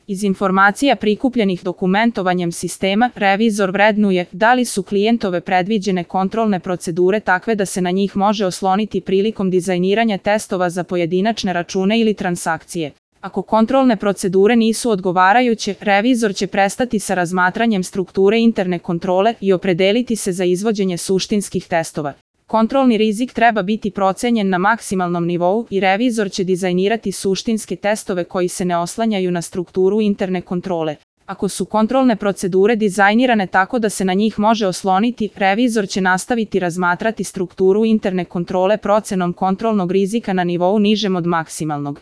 Iz informacija prikupljenih dokumentovanjem sistema, revizor vrednuje da li su klijentove predviđene kontrolne procedure takve da se na njih može osloniti prilikom dizajniranja testova za pojedinačne račune ili transakcije. Ako kontrolne procedure nisu odgovarajuće, revizor će prestati sa razmatranjem strukture interne kontrole i opredeliti se za izvođenje suštinskih testova. Kontrolni rizik treba biti procenjen na maksimalnom nivou i revizor će dizajnirati suštinske testove koji se ne oslanjaju na strukturu interne kontrole. Ako su kontrolne procedure dizajnirane tako da se na njih može osloniti, revizor će nastaviti razmatrati strukturu interne kontrole procenom kontrolnog rizika na nivou nižem od maksimalnog.